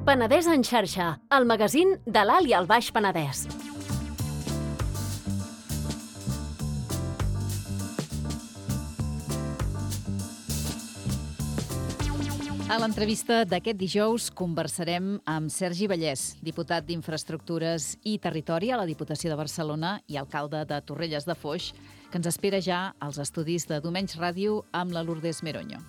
Penedès en xarxa, el magazín de l'Alt i el Baix Penedès. A l'entrevista d'aquest dijous conversarem amb Sergi Vallès, diputat d'Infraestructures i Territori a la Diputació de Barcelona i alcalde de Torrelles de Foix, que ens espera ja als estudis de Domenys Ràdio amb la Lourdes Meroño.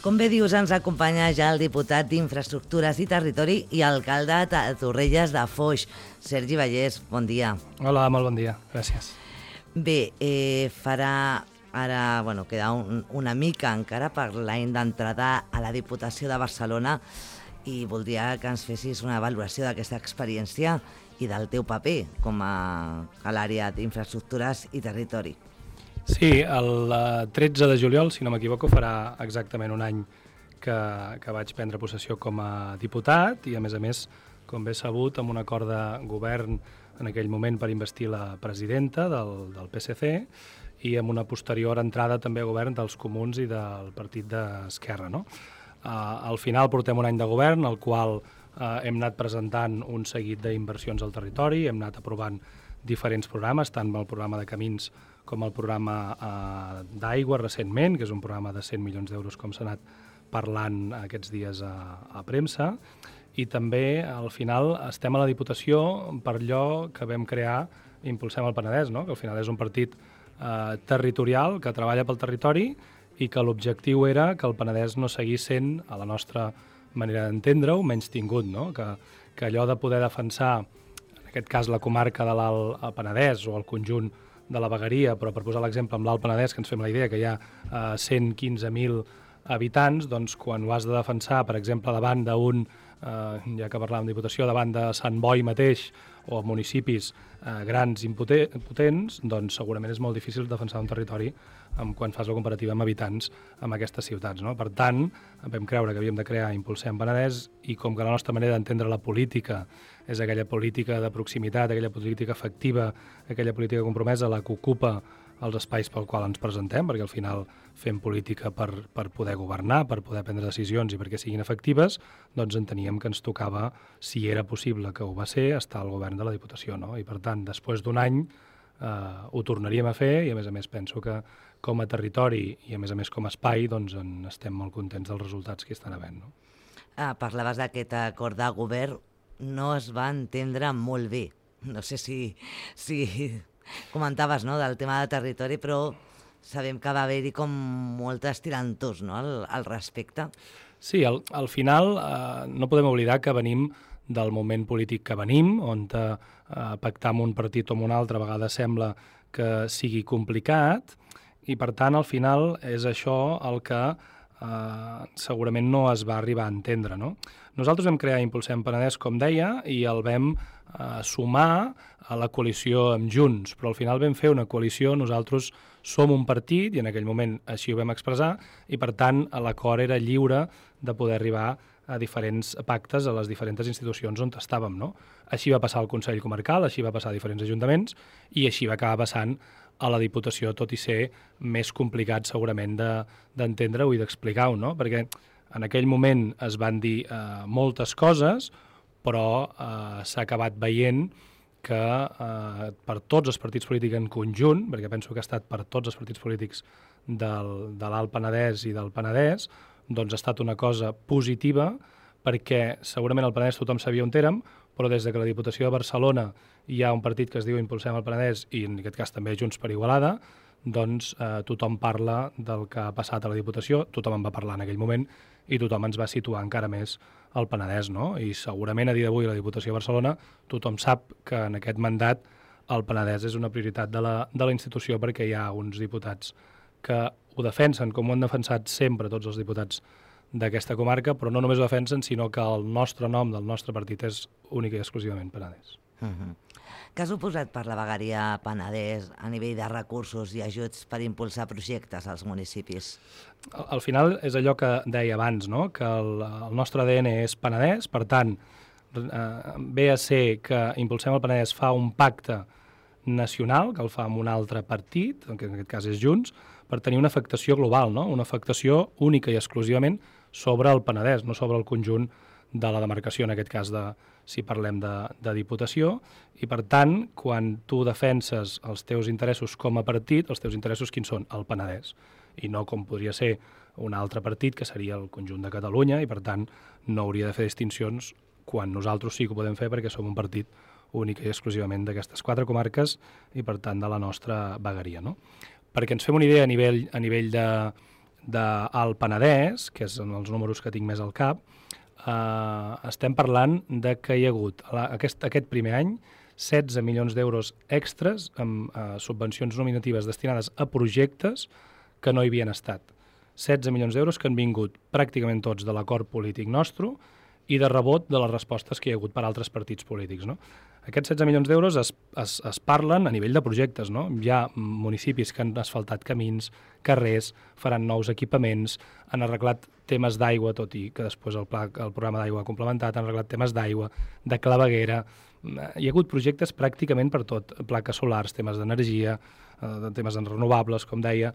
Com bé dius, ens acompanya ja el diputat d'Infraestructures i Territori i alcalde de Torrelles de Foix, Sergi Vallès. Bon dia. Hola, molt bon dia. Gràcies. Bé, farà ara, queda una mica encara per l'any d'entrada a la Diputació de Barcelona i voldria que ens fessis una valoració d'aquesta experiència i del teu paper com a l'àrea d'Infraestructures i Territori. Sí, el 13 de juliol, si no m'equivoco, farà exactament un any que vaig prendre possessió com a diputat i, a més, com bé sabut, amb un acord de govern en aquell moment per investir la presidenta del PSC i amb una posterior entrada també a govern dels Comuns i del Partit d'Esquerra, no? Al final portem un any de govern, al qual hem anat presentant un seguit d'inversions al territori, hem anat aprovant diferents programes, tant el programa de camins com el programa d'aigua recentment, que és un programa de 100 milions d'euros, com s'ha anat parlant aquests dies a premsa, i també al final estem a la Diputació per allò que vam crear Impulsem el Penedès, no? Que al final és un partit territorial que treballa pel territori i que l'objectiu era que el Penedès no seguís sent, a la nostra manera d'entendre-ho, menys tingut, no? Que allò de poder defensar, en aquest cas la comarca de l'Alt Penedès o el conjunt de la Vegueria, però per posar l'exemple amb l'Alt Penedès, que ens fem la idea que hi ha 115.000 habitants, doncs quan ho has de defensar, per exemple, davant d'un, ja que parlàvem de Diputació, davant de Sant Boi mateix, o municipis grans i potents, doncs segurament és molt difícil defensar un territori quan fas la comparativa amb habitants amb aquestes ciutats, no? Per tant, vam creure que havíem de crear Impulsem Penedès i com que la nostra manera d'entendre la política és aquella política de proximitat, aquella política efectiva, aquella política compromesa, la que ocupa els espais pel qual ens presentem, perquè al final fem política per poder governar, per poder prendre decisions i perquè siguin efectives, doncs enteníem que ens tocava, si era possible que ho va ser, estar al govern de la Diputació, no? I per tant, després d'un any ho tornaríem a fer i a més penso que com a territori i a més com a espai doncs estem molt contents dels resultats que estan havent, no? Parlaves d'aquest acord de govern, no es va entendre molt bé. No sé si comentaves, no, del tema de territori, però sabem que va haver-hi com moltes tirantors, no, al respecte. Sí, al final no podem oblidar que venim del moment polític que venim, on pactar amb un partit o amb un altre a vegades sembla que sigui complicat i per tant al final és això el que segurament no es va arribar a entendre, no? Nosaltres vam crear Impulsem Penedès, com deia, i el vam sumar a la coalició amb Junts, però al final vam fer una coalició, nosaltres som un partit, i en aquell moment així ho vam expressar, i per tant l'acord era lliure de poder arribar a diferents pactes a les diferents institucions on estàvem, no? Així va passar al Consell Comarcal, així va passar a diferents ajuntaments, i així va acabar passant a la Diputació, tot i ser més complicat segurament d'entendre-ho i d'explicar-ho, no? Perquè en aquell moment es van dir moltes coses, però s'ha acabat veient que per tots els partits polítics en conjunt, perquè penso que ha estat per tots els partits polítics de l'Alt Penedès i del Penedès, doncs ha estat una cosa positiva, perquè segurament al Penedès tothom sabia on érem, però des que la Diputació de Barcelona hi ha un partit que es diu Impulsem el Penedès i en aquest cas també Junts per Igualada, doncs tothom parla del que ha passat a la Diputació, tothom en va parlar en aquell moment i tothom ens va situar encara més al Penedès, no? I segurament a dia d'avui a la Diputació de Barcelona tothom sap que en aquest mandat el Penedès és una prioritat de la institució perquè hi ha uns diputats que ho defensen com ho han defensat sempre tots els diputats d'aquesta comarca, però no només ho defensen, sinó que el nostre nom del nostre partit és únic i exclusivament Penedès. Què ha suposat per la vegueria Penedès a nivell de recursos i ajuts per impulsar projectes als municipis? Al final és allò que deia abans, no? Que el nostre ADN és Penedès, per tant, ve a ser que Impulsem el Penedès fa un pacte nacional, que el fa amb un altre partit, que en aquest cas és Junts, per tenir una afectació global, no? Una afectació única i exclusivament sobre el Penedès, no sobre el conjunt de la demarcació, en aquest cas si parlem de Diputació, i per tant, quan tu defenses els teus interessos com a partit, els teus interessos quins són? El Penedès, i no com podria ser un altre partit, que seria el conjunt de Catalunya, i per tant no hauria de fer distincions quan nosaltres sí que ho podem fer perquè som un partit únic i exclusivament d'aquestes 4 comarques i per tant de la nostra vegueria, no? Perquè ens fem una idea a nivell del Penedès, que és els números que tinc més al cap, estem parlant de que hi ha hagut aquest primer any 16 milions d'euros extres amb subvencions nominatives destinades a projectes que no hi havien estat. 16 milions d'euros que han vingut pràcticament tots de l'acord polític nostre i de rebot de les respostes que hi ha hagut per altres partits polítics, no? Aquests 16 milions d'euros es parlen a nivell de projectes, no? Hi ha municipis que han asfaltat camins, carrers, faran nous equipaments, han arreglat temes d'aigua, tot i que després el programa d'aigua ha complementat, han arreglat temes d'aigua, de claveguera. Hi ha hagut projectes pràcticament per tot, plaques solars, temes d'energia, temes renovables, com deia.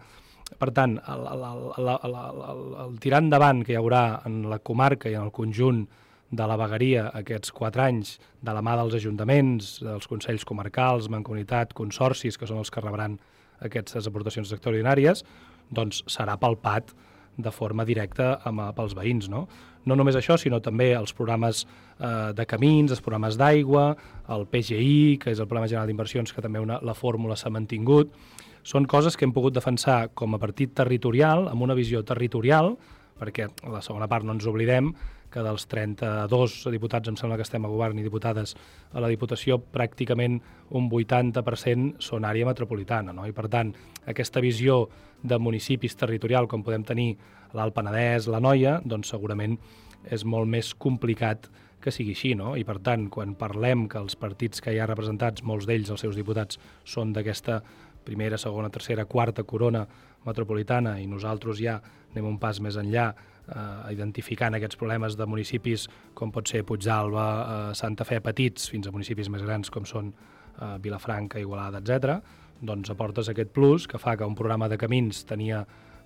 Per tant, el tirar endavant que hi haurà en la comarca i en el conjunt de la vegueria aquests 4 anys de la mà dels ajuntaments, dels consells comarcals, mancomunitat, consorcis, que són els que rebran aquestes aportacions extraordinàries, doncs serà palpat de forma directa pels veïns, no? No només això, sinó també els programes de camins, els programes d'aigua, el PGI, que és el Programa General d'Inversions, que també la fórmula s'ha mantingut. Són coses que hem pogut defensar com a partit territorial, amb una visió territorial, perquè a la segona part no ens oblidem que dels 32 diputats, em sembla que estem a govern, i diputades a la Diputació, pràcticament un 80% són àrea metropolitana, no? I per tant, aquesta visió de municipis territorial, com podem tenir l'Alt Penedès, l'Anoia, doncs segurament és molt més complicat que sigui així, no? I per tant, quan parlem que els partits que hi ha representats, molts d'ells, els seus diputats, són d'aquesta primera, segona, tercera, quarta corona metropolitana i nosaltres ja anem un pas més enllà identificant aquests problemes de municipis com pot ser Puigdàlber, Santa Fe petits, fins a municipis més grans com són Vilafranca, Igualada, etc. Doncs aportes aquest plus que fa que un programa de camins tenia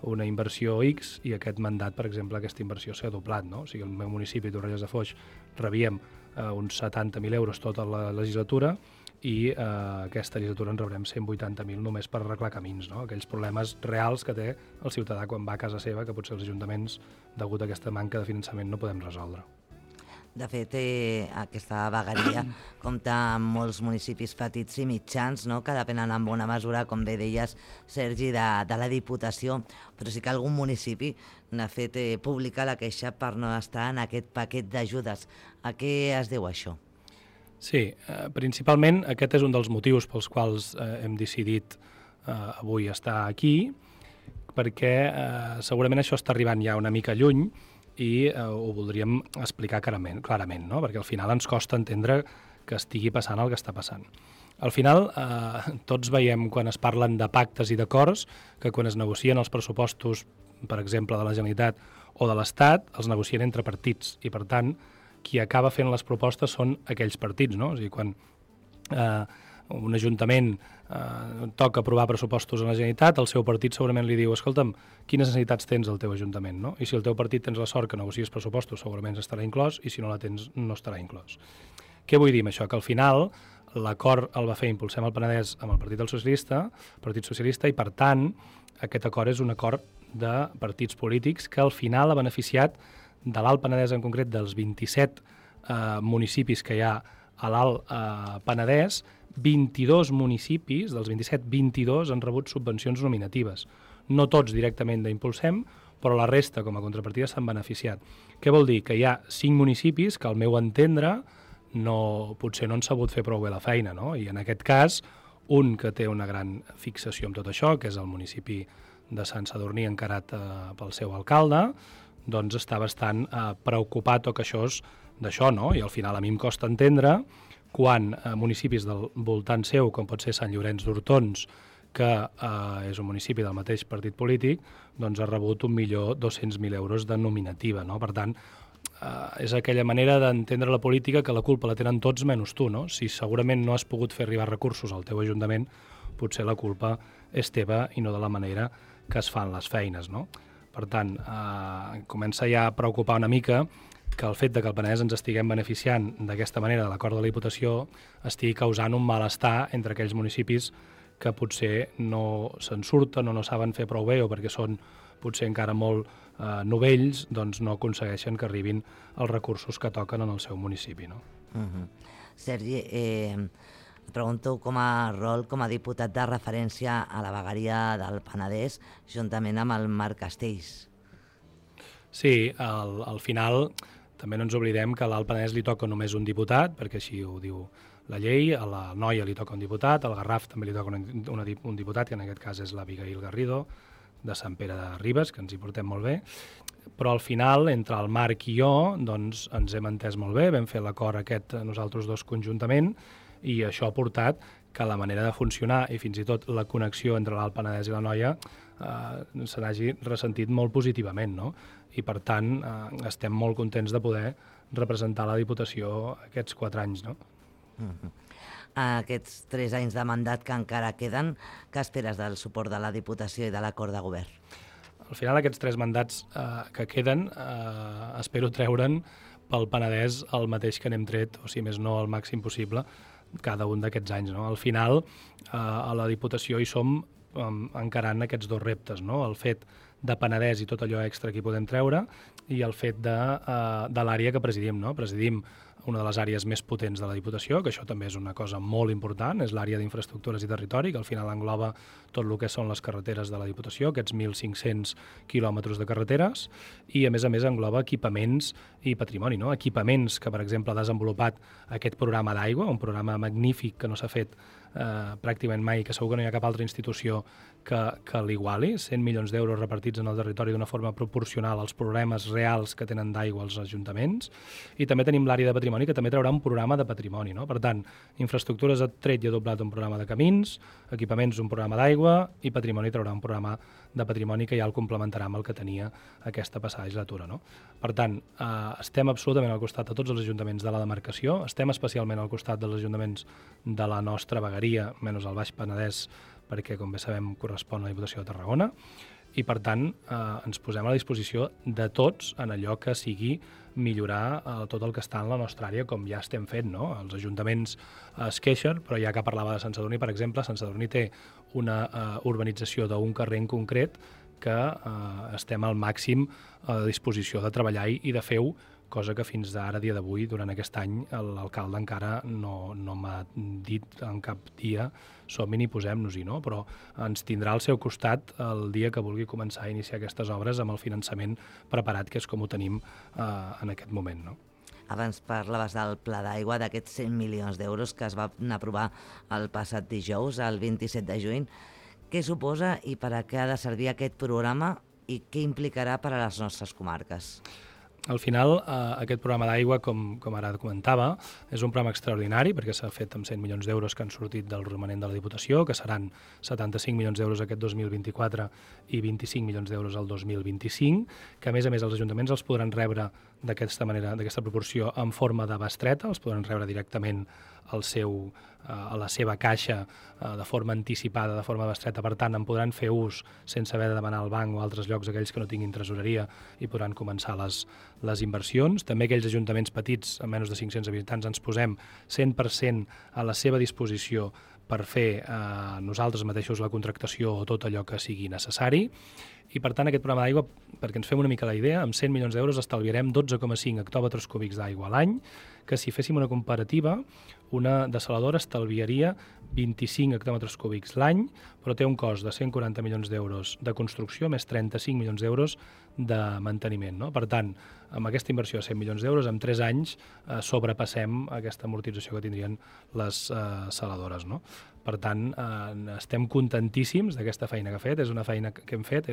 una inversió X i aquest mandat, per exemple, aquesta inversió s'ha doblat, no? O sigui, el meu municipi, Torrelles de Foix, rebíem uns 70.000 euros tota la legislatura i aquesta legislatura en rebrem 180.000 només per arreglar camins, no? Aquells problemes reals que té el ciutadà quan va a casa seva, que potser els ajuntaments, degut a aquesta manca de finançament, no podem resoldre. De fet, aquesta vegueria compta amb molts municipis petits i mitjans, no? Que depenen en bona mesura, com bé deies, Sergi, de la Diputació, però sí que algun municipi n'ha fet pública la queixa per no estar en aquest paquet d'ajudes. A què es deu això? Sí, principalment aquest és un dels motius pels quals hem decidit avui estar aquí, perquè segurament això està arribant ja una mica lluny i ho voldríem explicar clarament, no? Perquè al final ens costa entendre que estigui passant el que està passant. Al final, tots veiem quan es parlen de pactes i d'acords que quan es negocien els pressupostos, per exemple, de la Generalitat o de l'Estat, els negocien entre partits i, per tant, qui acaba fent les propostes són aquells partits, no? O sigui, quan un ajuntament toca aprovar pressupostos a la Generalitat, el seu partit segurament li diu: escolta'm, quines necessitats tens al teu ajuntament, no? I si el teu partit tens la sort que negocies pressupostos, segurament estarà inclòs, i si no la tens, no estarà inclòs. Què vull dir amb això? Que al final l'acord el va fer Impulsem el Penedès amb el Partit Socialista, i per tant aquest acord és un acord de partits polítics que al final ha beneficiat de l'Alt Penedès, en concret dels 27 municipis que hi ha a l'Alt Penedès. 22 municipis, dels 27, 22 han rebut subvencions nominatives. No tots directament d'Impulsem, però la resta, com a contrapartida, s'han beneficiat. Què vol dir? Que hi ha 5 municipis que, al meu entendre, potser no han sabut fer prou bé la feina, no? I en aquest cas, un que té una gran fixació amb tot això, que és el municipi de Sant Sadurní, encarat pel seu alcalde, doncs està bastant preocupat o queixós d'això, no? I al final a mi em costa entendre quan municipis del voltant seu, com pot ser Sant Llorenç d'Hortons, que és un municipi del mateix partit polític, doncs ha rebut 1.200.000 euros de nominativa, no? Per tant, és aquella manera d'entendre la política que la culpa la tenen tots menys tu, no? Si segurament no has pogut fer arribar recursos al teu ajuntament, potser la culpa és teva i no de la manera que es fan les feines, no? Per tant, comença ja a preocupar una mica que el fet de que el Penedès ens estiguem beneficiant d'aquesta manera de l'acord de la Diputació estigui causant un malestar entre aquells municipis que potser no se'n surten o no saben fer prou bé o perquè són potser encara molt novells, doncs no aconsegueixen que arribin els recursos que toquen en el seu municipi, no? Sergi, et pregunto com a rol com a diputat de referència a la vegueria del Penedès juntament amb el Marc Castells. Sí, al final també no ens oblidem que a l'Alt Penedès li toca només un diputat, perquè així ho diu la llei, a la Noia li toca un diputat, al Garraf també li toca un diputat, que en aquest cas és l'Abigail Garrido, de Sant Pere de Ribes, que ens hi portem molt bé, però al final, entre el Marc i jo, doncs ens hem entès molt bé, vam fer l'acord aquest nosaltres dos conjuntament, i això ha portat que la manera de funcionar i fins i tot la connexió entre l'Alt Penedès i la Noia se n'hagi ressentit molt positivament, no? I per tant estem molt contents de poder representar la Diputació aquests 4 anys, no? Aquests 3 anys de mandat que encara queden, què esperes del suport de la Diputació i de l'acord de govern? Al final aquests 3 mandats que queden espero treure'n pel Penedès el mateix que n'hem tret, o si més no el màxim possible, cada un d'aquests anys, no? Al final a la Diputació hi som encarant aquests 2 reptes, no? El fet de Penedès i tot allò extra que hi podem treure i el fet de l'àrea que presidim, no? Presidim una de les àrees més potents de la Diputació, que això també és una cosa molt important, és l'àrea d'infraestructures i territori, que al final engloba tot el que són les carreteres de la Diputació, aquests 1.500 quilòmetres de carreteres, i a més engloba equipaments i patrimoni, no? Equipaments que, per exemple, ha desenvolupat aquest programa d'aigua, un programa magnífic que no s'ha fet pràcticament mai, que segur que no hi ha cap altra institució que l'iguali, 100 milions d'euros repartits en el territori d'una forma proporcional als problemes reals que tenen d'aigua els ajuntaments, i també tenim l'àrea de patrimoni, que també traurà un programa de patrimoni, no? Per tant, infraestructures ha tret i ha doblat un programa de camins, equipaments un programa d'aigua, i patrimoni traurà un programa de patrimoni que ja el complementarà amb el que tenia aquesta passada legislatura, no? Per tant, estem absolutament al costat de tots els ajuntaments de la demarcació, estem especialment al costat dels ajuntaments de la nostra vegueria, menys el Baix Penedès, perquè, com bé sabem, correspon a la Diputació de Tarragona, i, per tant, ens posem a la disposició de tots en allò que sigui millorar tot el que està en la nostra àrea, com ja estem fent, no? Els ajuntaments es queixen, però ja que parlava de Sant Sadurní, per exemple, Sant Sadurní té una urbanització d'un carrer en concret que estem al màxim a disposició de treballar-hi i de fer-ho, cosa que fins ara, dia d'avui, durant aquest any, l'alcalde encara no m'ha dit en cap dia som-hi ni posem-nos-hi, no? Però ens tindrà al seu costat el dia que vulgui començar a iniciar aquestes obres amb el finançament preparat, que és com ho tenim en aquest moment, no? Abans parlaves del pla d'aigua, d'aquests 100 milions d'euros que es van aprovar el passat dijous, el 27 de juny. Què suposa i per a què ha de servir aquest programa i què implicarà per a les nostres comarques? Al final, aquest programa d'aigua, com ara comentava, és un programa extraordinari perquè s'ha fet amb 100 milions d'euros que han sortit del romanent de la Diputació, que seran 75 milions d'euros aquest 2024 i 25 milions d'euros el 2025, que a més els ajuntaments els podran rebre d'aquesta manera, d'aquesta proporció, en forma de bestreta, els podran rebre directament a la seva caixa de forma anticipada, de forma bestreta. Per tant, en podran fer ús sense haver de demanar al banc o altres llocs, aquells que no tinguin tresoreria, i podran començar les inversions. També aquells ajuntaments petits, amb menys de 500 habitants, ens posem 100% a la seva disposició per fer nosaltres mateixos la contractació o tot allò que sigui necessari. I, per tant, aquest programa d'aigua, perquè ens fem una mica la idea, amb 100 milions d'euros estalviarem 12,5 hectòmetres cúbics d'aigua a l'any, que si féssim una comparativa, una dessaladora estalviaria 25 hectòmetres cúbics l'any, però té un cost de 140 milions d'euros de construcció més 35 milions d'euros de manteniment, no? Per tant, amb aquesta inversió de 100 milions d'euros, en 3 anys sobrepassem aquesta amortització que tindrien les saladores, no? Per tant, estem contentíssims d'aquesta feina que ha fet. És una feina que hem fet,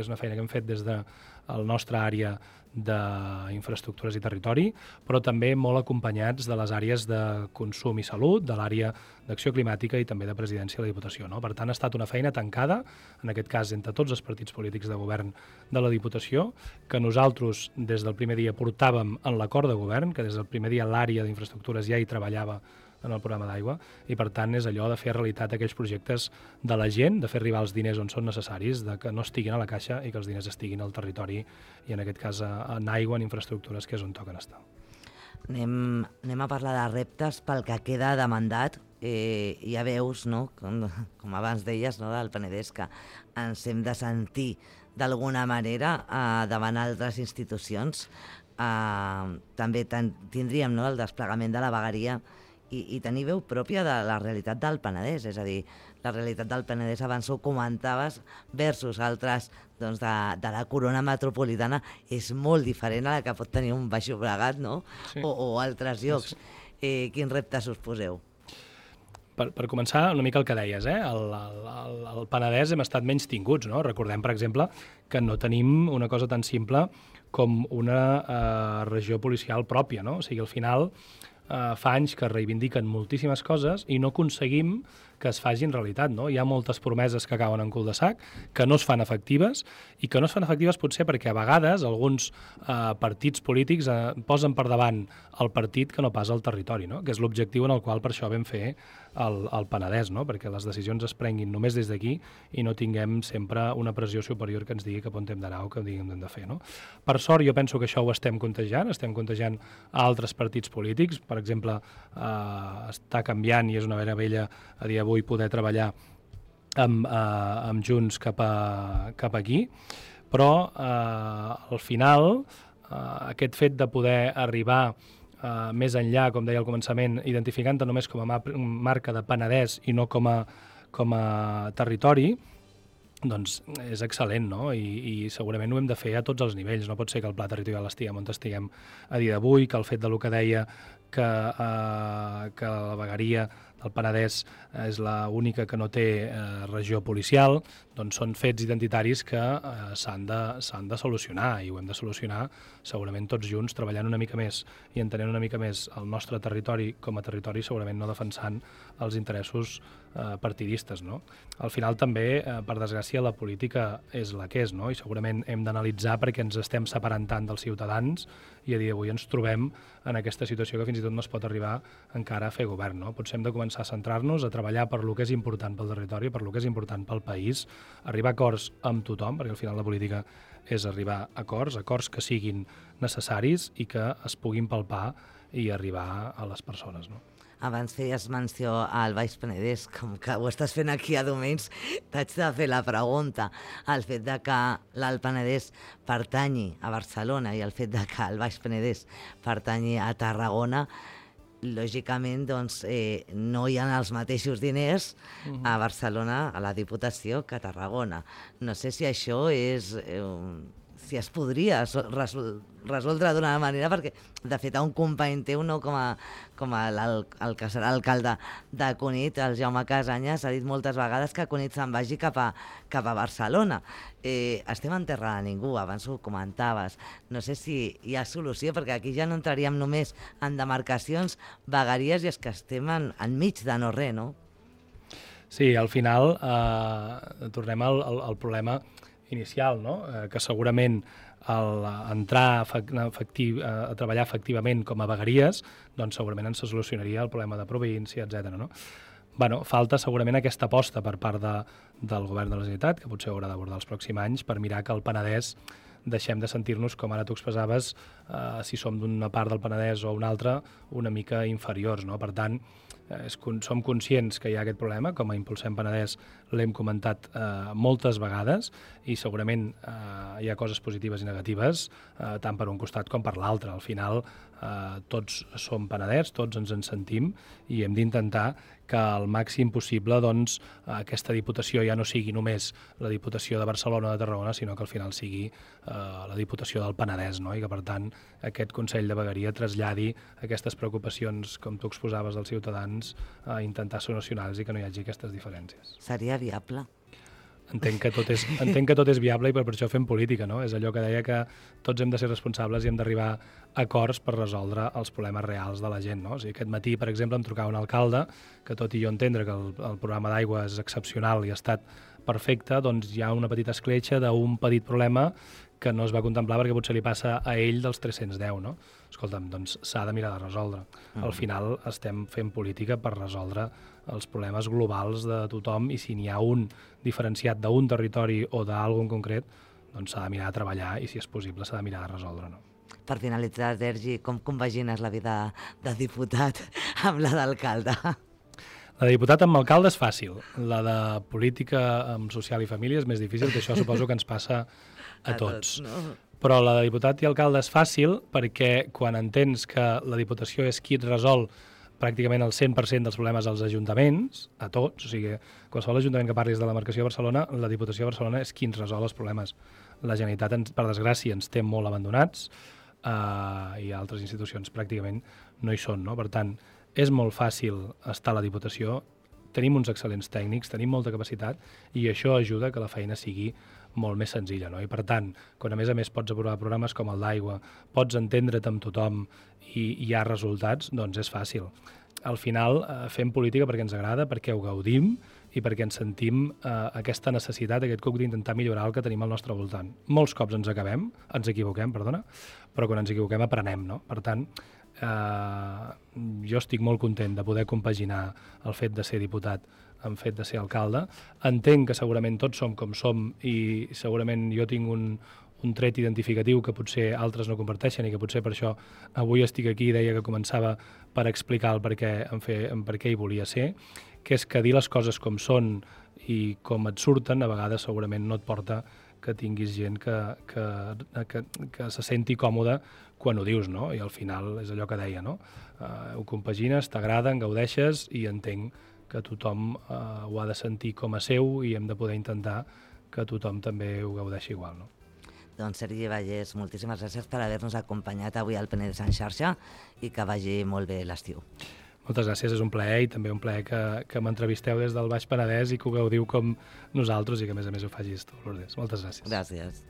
des del nostre àrea d'infraestructures i territori, però també molt acompanyats de les àrees de consum i salut, de l'àrea d'acció climàtica i també de presidència de la Diputació, no? Per tant, ha estat una feina tancada, en aquest cas entre tots els partits polítics de govern de la Diputació, que nosaltres des del primer dia portàvem en l'acord de govern, que des del primer dia l'àrea d'infraestructures ja hi treballava en el programa d'aigua, i per tant és allò de fer realitat aquells projectes de la gent, de fer arribar els diners on són necessaris, de que no estiguin a la caixa i que els diners estiguin al territori, i en aquest cas en aigua, en infraestructures, que és on toquen estar. Anem a parlar de reptes pel que queda de mandat. Ja veus, no? Com abans deies, no? Del Penedès, que ens hem de sentir d'alguna manera davant altres institucions. També tindríem, no? El desplegament de la vegueria i tenir veu pròpia de la realitat del Penedès, és a dir, la realitat del Penedès, abans ho comentaves, versus altres doncs, de la corona metropolitana, és molt diferent a la que pot tenir un Baix Llobregat, no? Sí. O altres llocs. Sí. Quins reptes us poseu? Per començar, una mica el que deies, al Penedès hem estat menys tinguts, no? Recordem, per exemple, que no tenim una cosa tan simple com una regió policial pròpia, no? O sigui, al final fa anys que reivindiquen moltíssimes coses i no aconseguim que es facin realitat, no? Hi ha moltes promeses que cauen en cul de sac, que no es fan efectives, i que no es fan efectives potser perquè a vegades alguns partits polítics posen per davant el partit que no pas el territori, no? Que és l'objectiu en el qual per això vam fer el Penedès, no? Perquè les decisions es prenguin només des d'aquí i no tinguem sempre una pressió superior que ens digui cap on hem d'anar o que diguem hem de fer, no? Per sort, jo penso que això ho estem contagiant a altres partits polítics. Per exemple, està canviant i és una meravella a dia d'avui poder treballar amb Junts cap aquí, però al final aquest fet de poder arribar més enllà, com deia al començament, identificant-te només com a marca de Penedès i no com a territori, doncs és excel·lent, no? I segurament ho hem de fer a tots els nivells. No pot ser que el pla territorial estiguem on estiguem a dia d'avui, que el fet de lo que deia que la vegueria del Penedès és l'única que no té regió policial, doncs són fets identitaris que s'han de solucionar, i ho hem de solucionar segurament tots junts, treballant una mica més i entenent una mica més el nostre territori com a territori, segurament no defensant els interessos partidistes, no? Al final també, per desgràcia, la política és la que és, no? I segurament hem d'analitzar perquè ens estem separant tant dels ciutadans i a dia d'avui ens trobem en aquesta situació que fins i tot no es pot arribar encara a fer govern, no? Potser hem de començar a centrar-nos, a treballar per lo que és important pel territori, per lo que és important pel país, arribar a acords amb tothom, perquè al final la política és arribar a acords que siguin necessaris i que es puguin palpar i arribar a les persones, no? Abans feies menció al Baix Penedès, com que ho estàs fent aquí a Domins, t'haig de fer la pregunta. El fet de que l'Alt Penedès pertanyi a Barcelona i el fet de que el Baix Penedès pertanyi a Tarragona, lògicament doncs, no hi ha els mateixos diners a Barcelona, a la Diputació, que a Tarragona. No sé si això és... si es podria resoldre d'una manera, perquè de fet un company teu, no, com el que serà alcalde de Cunit, el Jaume Casanyes, ha dit moltes vegades que Cunit se'n vagi cap a Barcelona. Estem en terra de ningú, abans ho comentaves. No sé si hi ha solució, perquè aquí ja no entraríem només en demarcacions, vegueries, i és que estem enmig de no res, no? Sí, al final tornem al problema inicial, no? Que segurament entrar a treballar efectivament com a vegueries, doncs segurament ens solucionaria el problema de província, etc. No? Bueno, falta segurament aquesta aposta per part del govern de la Generalitat, que potser haurà d'abordar els pròxims anys, per mirar que el Penedès deixem de sentir-nos, com ara tu expressaves, si som d'una part del Penedès o una altra, una mica inferiors, no? Per tant, som conscients que hi ha aquest problema, com a Impulsem Penedès l'hem comentat moltes vegades, i segurament hi ha coses positives i negatives, tant per un costat com per l'altre. Al final tots som Penedès, tots ens en sentim, i hem d'intentar que al màxim possible doncs, aquesta Diputació ja no sigui només la Diputació de Barcelona o de Tarragona, sinó que al final sigui la Diputació del Penedès, no? I que per tant aquest Consell de Vegueria traslladi aquestes preocupacions, com tu exposaves, dels ciutadans, a intentar solucionar-los i que no hi hagi aquestes diferències. Seria viable? Entenc que tot és viable i per això fem política, no? És allò que deia que tots hem de ser responsables i hem d'arribar a acords per resoldre els problemes reals de la gent, no? O sigui, aquest matí, per exemple, em trucava un alcalde que, tot i jo entendre que el programa d'aigua és excepcional i ha estat perfecte, doncs hi ha una petita escletxa d'un petit problema que no es va contemplar perquè potser li passa a ell dels 310, no? Escolta'm, doncs s'ha de mirar de resoldre. Al final estem fent política per resoldre els problemes globals de tothom i si n'hi ha un diferenciat d'un territori o d'algun concret, doncs s'ha de mirar de treballar i si és possible s'ha de mirar de resoldre, no? Per finalitzar, Sergi, com compagines la vida de diputat amb la d'alcalde? La de diputat amb alcalde és fàcil, la de política amb social i família és més difícil, que això suposo que ens passa a tots. No? Però la de diputat i alcalde és fàcil perquè quan entens que la Diputació és qui et resol pràcticament el 100% dels problemes als ajuntaments, a tots, o sigui, qualsevol ajuntament que parlis de la demarcació de Barcelona, la Diputació de Barcelona és qui ens resol els problemes. La Generalitat, per desgràcia, ens té molt abandonats i altres institucions pràcticament no hi són, no? Per tant, és molt fàcil estar a la Diputació, tenim uns excel·lents tècnics, tenim molta capacitat i això ajuda que la feina sigui molt més senzilla, no? I per tant, quan a més pots aprovar programes com el d'aigua, pots entendre't amb tothom i hi ha resultats, doncs és fàcil. Al final fem política perquè ens agrada, perquè ho gaudim i perquè ens sentim aquesta necessitat, aquest cuc d'intentar millorar el que tenim al nostre voltant. Molts cops ens equivoquem, però quan ens equivoquem aprenem, no? Per tant, jo estic molt content de poder compaginar el fet de ser diputat amb el fet de ser alcalde. Entenc que segurament tots som com som i segurament jo tinc un tret identificatiu que potser altres no comparteixen i que potser per això avui estic aquí i deia que començava per explicar el per què hi volia ser, que és que dir les coses com són i com et surten a vegades segurament no et porta que tinguis gent que se senti còmode quan ho dius, no? I al final és allò que deia, no? Ho compagines, t'agrada, en gaudeixes i entenc que tothom ho ha de sentir com a seu i hem de poder intentar que tothom també ho gaudeixi igual, no? Doncs Sergi Vallès, moltíssimes gràcies per haver-nos acompanyat avui al Penedès en xarxa i que vagi molt bé l'estiu. Moltes gràcies, és un plaer i també un plaer que m'entrevisteu des del Baix Penedès i que ho gaudiu com nosaltres i que a més ho facis tu, Lourdes. Moltes gràcies. Gràcies.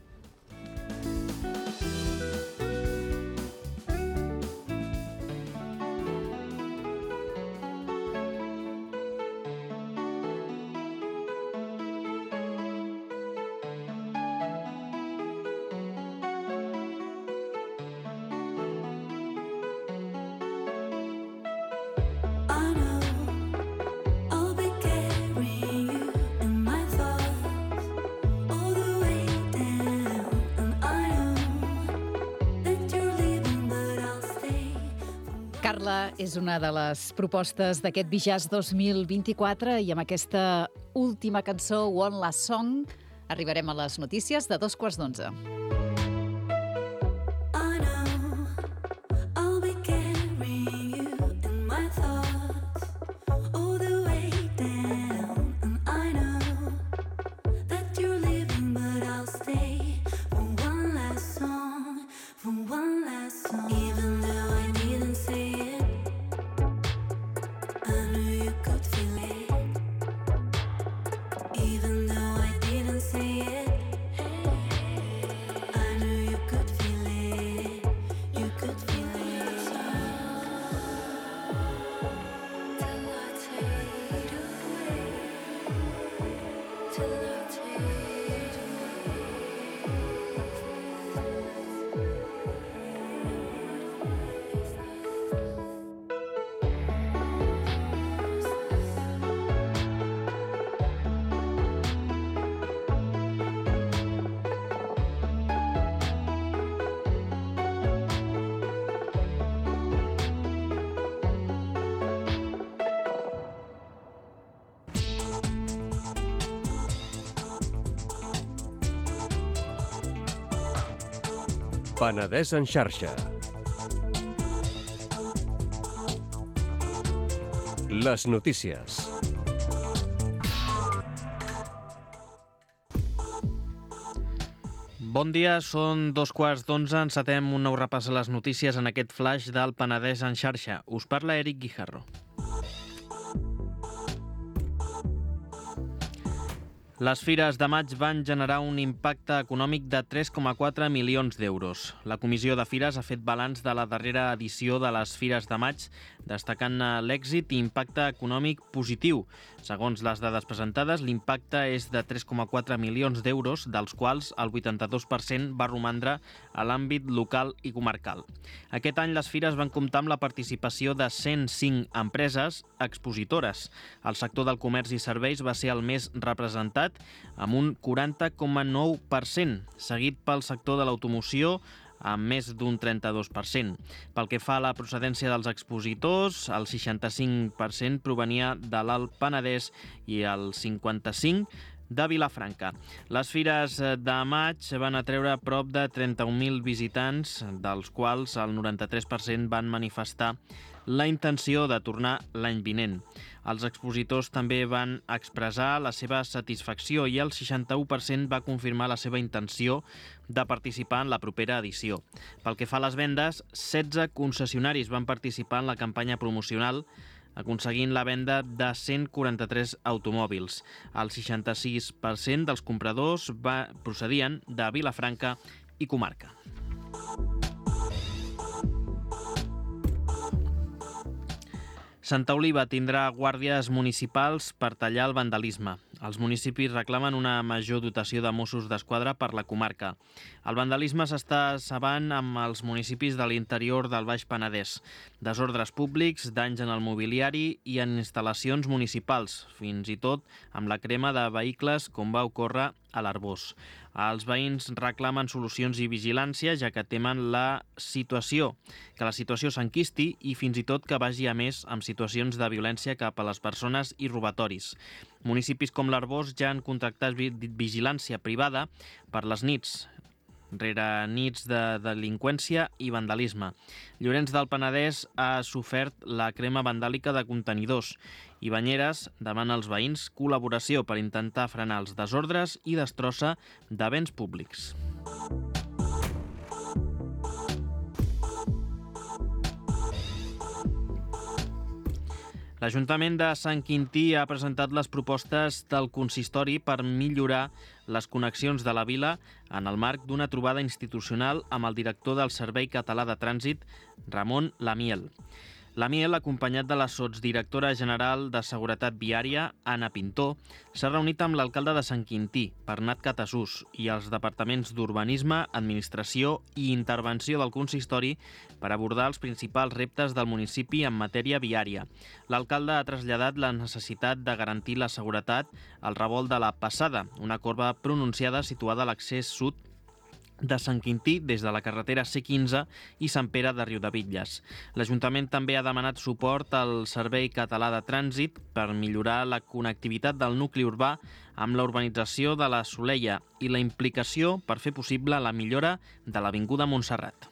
Carla és una de les propostes d'aquest Bijàs 2024 i amb aquesta última cançó, One Last Song, arribarem a les notícies de 11:15. Penedès en xarxa. Les notícies. Bon dia, són 2:15, encetem un nou repàs a les notícies en aquest flash del Penedès en xarxa. Us parla Eric Guijarro. Les fires de maig van generar un impacte econòmic de 3,4 milions d'euros. La Comissió de Fires ha fet balanç de la darrera edició de les fires de maig, destacant l'èxit i impacte econòmic positiu. Segons les dades presentades, l'impacte és de 3,4 milions d'euros, dels quals el 82% va romandre a l'àmbit local i comarcal. Aquest any les fires van comptar amb la participació de 105 empreses expositores. El sector del comerç i serveis va ser el més representat, amb un 40,9%, seguit pel sector de l'automoció, amb més d'un 32%. Pel que fa a la procedència dels expositors, el 65% provenia de l'Alt Penedès i el 55% de Vilafranca. Les fires de maig van atreure prop de 31.000 visitants, dels quals el 93% van manifestar la intenció de tornar l'any vinent. Els expositors també van expressar la seva satisfacció i el 61% va confirmar la seva intenció de participar en la propera edició. Pel que fa a les vendes, 16 concessionaris van participar en la campanya promocional, aconseguint la venda de 143 automòbils. El 66% dels compradors procedien de Vilafranca i comarca. Santa Oliva tindrà guàrdies municipals per tallar el vandalisme. Els municipis reclamen una major dotació de Mossos d'Esquadra per la comarca. El vandalisme s'està sabant amb els municipis de l'interior del Baix Penedès. Desordres públics, danys en el mobiliari i en instal·lacions municipals, fins i tot amb la crema de vehicles, com va ocórrer a l'Arbós. Els veïns reclamen solucions i vigilància, ja que temen que la situació s'enquisti i fins i tot que vagi a més amb situacions de violència cap a les persones i robatoris. Municipis com l'Arbós ja han contractat vigilància privada per les nits, rere nits de delinqüència i vandalisme. Llorenç del Penedès ha sofert la crema vandàlica de contenidors i Banyeres demana als veïns col·laboració per intentar frenar els desordres i destrossa de béns públics. L'Ajuntament de Sant Quintí ha presentat les propostes del consistori per millorar les connexions de la vila en el marc d'una trobada institucional amb el director del Servei Català de Trànsit, Ramon Lamiel. Lamiel, acompanyat de la sotsdirectora general de Seguretat Viària, Anna Pintó, s'ha reunit amb l'alcalde de Sant Quintí, Bernat Catasús, i els departaments d'Urbanisme, Administració i Intervenció del consistori per abordar els principals reptes del municipi en matèria viària. L'alcalde ha traslladat la necessitat de garantir la seguretat al revolt de la Passada, una corba pronunciada situada a l'accés sud de Sant Quintí des de la carretera C15 i Sant Pere de Riudebitlles. L'Ajuntament també ha demanat suport al Servei Català de Trànsit per millorar la connectivitat del nucli urbà amb la urbanització de la Soleia i la implicació per fer possible la millora de l'Avinguda Montserrat.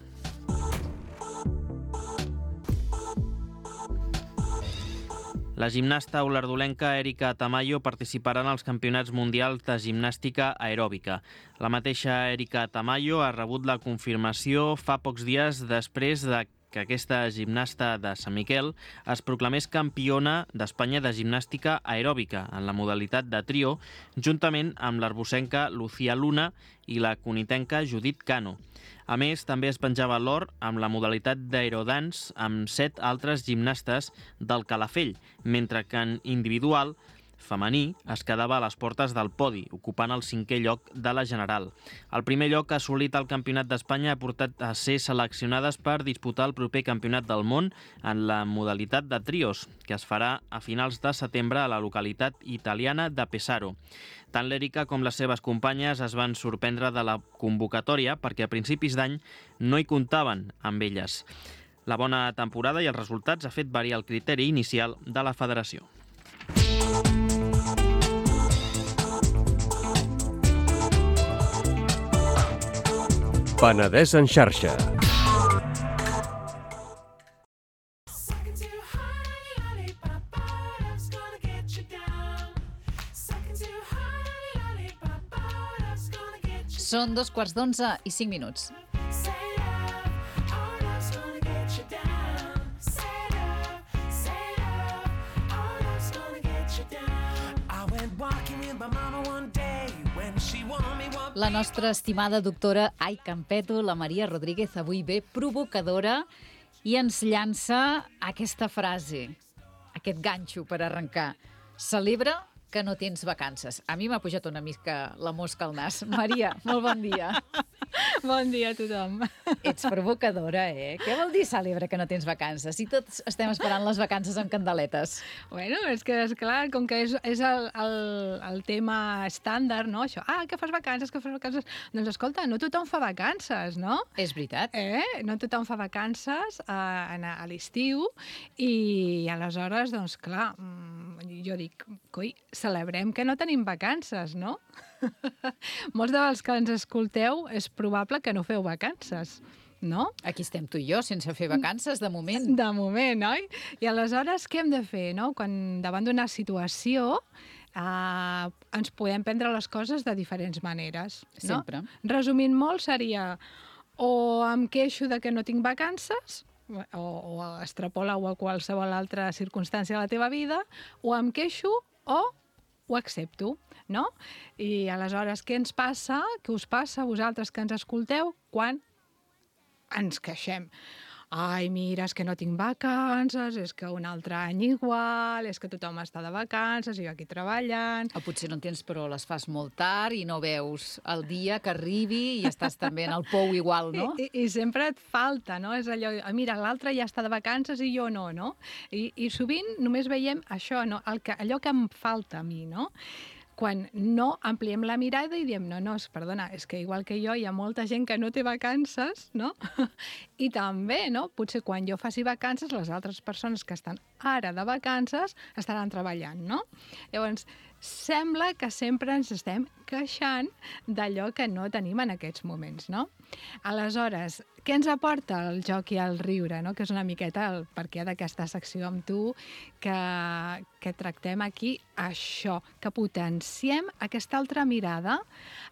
La gimnasta olardolenca Erika Tamayo participarà en els campionats mundials de gimnàstica aeròbica. La mateixa Erika Tamayo ha rebut la confirmació fa pocs dies després de que aquesta gimnasta de Sant Miquel es proclamés campiona d'Espanya de gimnàstica aeròbica en la modalitat de trio, juntament amb l'arbocenca Lucía Luna i la conitenca Judit Cano. A més, també es penjava l'or amb la modalitat d'aerodance amb 7 altres gimnastes del Calafell, mentre que en individual femení es quedava a les portes del podi, ocupant el 5è lloc de la general. El primer lloc assolit al Campionat d'Espanya ha portat a ser seleccionades per disputar el proper Campionat del Món en la modalitat de trios, que es farà a finals de setembre a la localitat italiana de Pesaro. Tant l'Erika com les seves companyes es van sorprendre de la convocatòria perquè a principis d'any no hi comptaven amb elles. La bona temporada i els resultats ha fet variar el criteri inicial de la federació. Penedès en xarxa. Són 11:45. La nostra estimada doctora Ai Campeto, la Maria Rodríguez, avui ve provocadora i ens llança aquesta frase, aquest ganxo per arrencar. Celebra que no tens vacances. A mi m'ha pujat una mica la mosca al nas. Maria, molt bon dia. Bon dia a tothom. Ets provocadora, eh? Què vol dir celebra que no tens vacances? Si tots estem esperant les vacances amb candeletes. Bueno, és que, esclar, com que és el tema estàndard, no? Això, que fas vacances, que fas vacances... Doncs escolta, no tothom fa vacances, no? És veritat. No tothom fa vacances a l'estiu i aleshores, doncs clar, jo dic, coi, celebrem que no tenim vacances, no? Molts dels que ens escolteu és probable que no feu vacances, no? Aquí estem tu i jo, sense fer vacances, de moment. De moment, oi? I aleshores què hem de fer, no? Quan davant d'una situació ens podem prendre les coses de diferents maneres, no? Sempre. Resumint molt, seria o em queixo de que no tinc vacances, o extrapola-ho a qualsevol altra circumstància de la teva vida, o em queixo o ho accepto, no? I aleshores, què ens passa, què us passa a vosaltres que ens escolteu quan ens queixem? Ai, mira, és que no tinc vacances, és que un altre any igual, és que tothom està de vacances i jo aquí treballant... O potser no en tens, però les fas molt tard i no veus el dia que arribi i estàs també en el pou igual, no? I sempre et falta, no? És allò, mira, l'altre ja està de vacances i jo no, no? I sovint només veiem això, no? Allò que em falta a mi, no? Quan no ampliem la mirada i diem, no, perdona, és que igual que jo hi ha molta gent que no té vacances, no? I també, no? Potser quan jo faci vacances, les altres persones que estan ara de vacances estaran treballant, no? Llavors, sembla que sempre ens estem queixant d'allò que no tenim en aquests moments, no? Aleshores, què ens aporta el joc i el riure, no? Que és una miqueta el perquè d'aquesta secció amb tu que tractem aquí això, que potenciem aquesta altra mirada,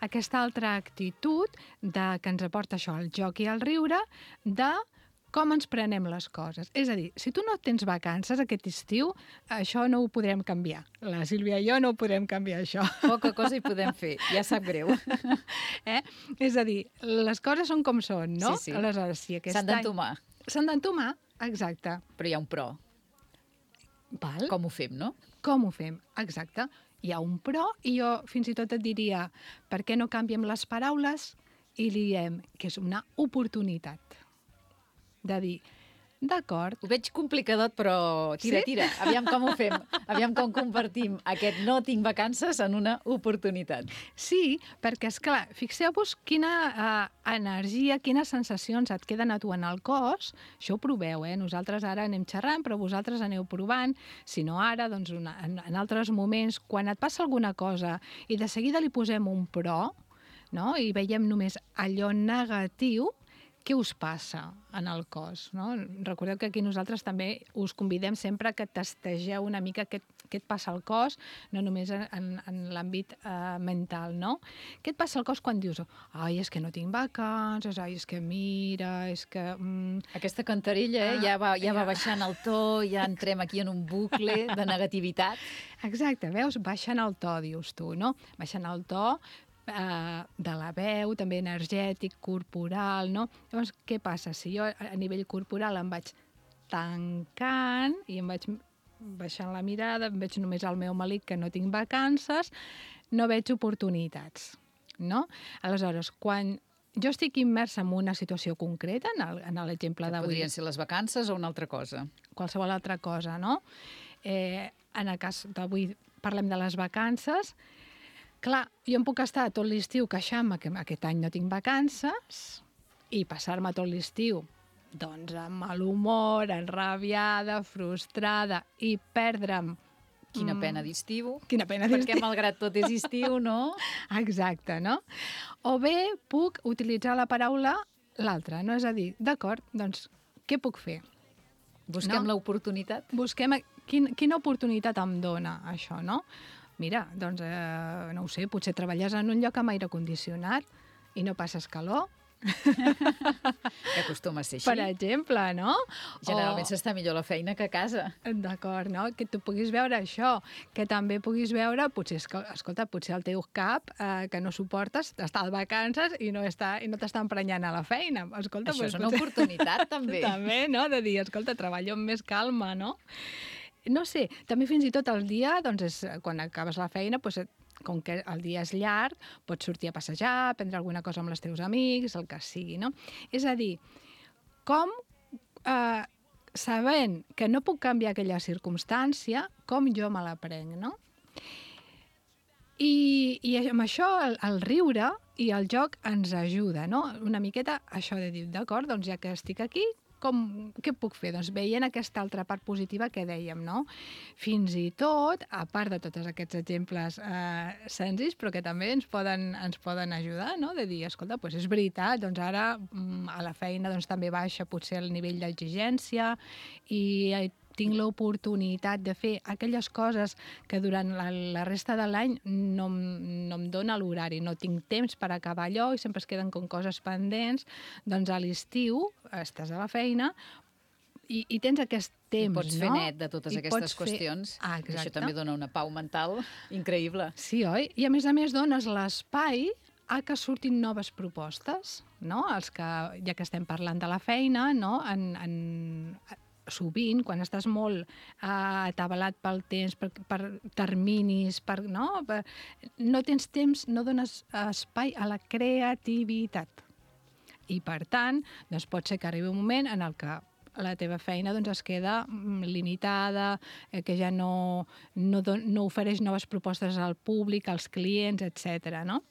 aquesta altra actitud que ens aporta això, el joc i el riure, de com ens prenem les coses. És a dir, si tu no tens vacances aquest estiu, això no ho podrem canviar. La Sílvia i jo no ho podrem canviar, això. Poca cosa hi podem fer, ja sap greu. És a dir, les coses són com són, no? Sí. Aleshores, si aquest S'han d'entomar. S'han d'entomar, exacte. Però hi ha un però. Val? Com ho fem, no? Com ho fem, exacte. Hi ha un però i jo fins i tot et diria per què no canviem les paraules i li diem que és una oportunitat de dir, d'acord. Ho veig complicadot, però tira, Sí? tira. Aviam com ho fem. Aviam com convertim aquest no tinc vacances en una oportunitat. Sí, perquè, esclar, fixeu-vos quina energia, quines sensacions et queden a tu en el cos. Això ho proveu, Nosaltres ara anem xerrant, però vosaltres aneu provant. Si no ara, doncs en altres moments, quan et passa alguna cosa i de seguida li posem un però, no? I veiem només allò negatiu, què us passa en el cos, no? Recordeu que aquí nosaltres també us convidem sempre que tastegeu una mica què et passa al cos, no només en l'àmbit mental, no? Què et passa al cos quan dius ai, és que no tinc vacances, ai, és que mira, és que... Aquesta cantarella ja va baixant el to, ja entrem aquí en un bucle de negativitat. Exacte, veus? Baixant el to, dius tu, no? Baixant el to de la veu, també energètic, corporal, no? Llavors, què passa? Si jo a nivell corporal em vaig tancant i em vaig baixant la mirada, em veig només al meu melic que no tinc vacances, no veig oportunitats, no? Aleshores, quan jo estic immersa en una situació concreta, en l'exemple d'avui... Podrien ser les vacances o una altra cosa. Qualsevol altra cosa, no? En el cas d'avui parlem de les vacances. Clar, jo em puc estar tot l'estiu queixant-me que aquest any no tinc vacances i passar-me tot l'estiu doncs amb mal humor, enrabiada, frustrada i perdre'm... Quina pena d'estiu. Quina pena d'estiu. Perquè malgrat tot és estiu, no? Exacte, no? O bé puc utilitzar la paraula l'altra, no? És a dir, d'acord, doncs què puc fer? Busquem l'oportunitat. Busquem quina oportunitat em dona això, no? Mira, doncs, no ho sé, potser treballes en un lloc amb aire condicionat i no passes calor, Que acostuma a ser així. per exemple, no? Generalment s'està millor a la feina que a casa. D'acord, no? Que tu puguis veure això, que també puguis veure, potser, escolta, potser el teu cap, que no suportes, està de vacances i no t'està emprenyant a la feina. Escolta, Això doncs, és una oportunitat, també. També, no? De dir, escolta, treballo amb més calma, no? No sé, també fins i tot el dia, doncs, quan acabes la feina, doncs, com que el dia és llarg, pots sortir a passejar, prendre alguna cosa amb els teus amics, el que sigui, no? És a dir, com, sabent que no puc canviar aquella circumstància, com jo me la prenc, no? I amb això el riure i el joc ens ajuda, no? Una miqueta això de dir, d'acord, doncs ja que estic aquí, què puc fer? Doncs veient aquesta altra part positiva que dèiem, no? Fins i tot, a part de tots aquests exemples senzills, però que també ens poden ajudar, no? De dir, escolta, doncs és veritat, doncs ara a la feina doncs, també baixa potser el nivell d'exigència i tinc l'oportunitat de fer aquelles coses que durant la resta de l'any no em dona l'horari, no tinc temps per acabar allò i sempre es queden com coses pendents, doncs a l'estiu estàs a la feina i tens aquest temps, Pots fer net de totes aquestes qüestions. Exacte. Això també dona una pau mental increïble. Sí, oi? I a més dones l'espai a que surtin noves propostes, no? Ja que estem parlant de la feina, no? Sovint, quan estàs molt atabalat pel temps, per terminis, no tens temps, no dones espai a la creativitat. I, per tant, doncs pot ser que arribi un moment en el que la teva feina doncs, es queda limitada, que ja no ofereix noves propostes al públic, als clients, etc. No?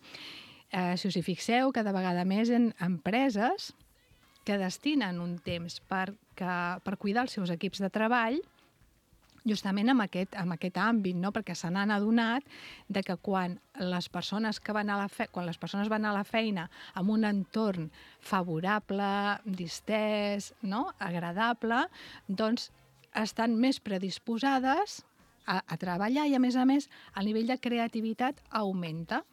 Si us hi fixeu, cada vegada més en empreses que destinen un temps per cuidar els seus equips de treball, justament en aquest àmbit, no? Perquè se n'han adonat que quan les persones van a la feina amb un entorn favorable, distès, no? Agradable, doncs estan més predisposades a treballar i, a més, el nivell de creativitat augmenta.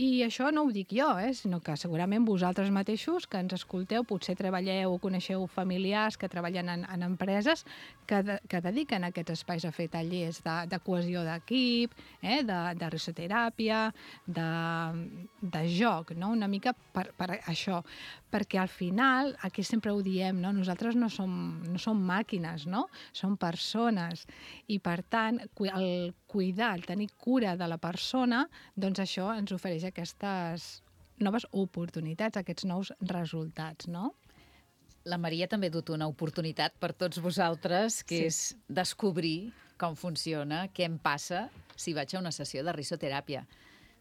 I això no ho dic jo, sinó que segurament vosaltres mateixos que ens escolteu, potser treballeu o coneixeu familiars que treballen en empreses que dediquen aquests espais a fer tallers de cohesió d'equip, de risoteràpia, de joc, no? Una mica per això. Perquè al final, aquí sempre ho diem, no? Nosaltres no som màquines, no? Som persones. I per tant, el cuidar, el tenir cura de la persona, doncs això ens ofereix aquestes noves oportunitats, aquests nous resultats, no? La Maria també ha dut una oportunitat per tots vosaltres, que és descobrir com funciona, què em passa si vaig a una sessió de risoteràpia.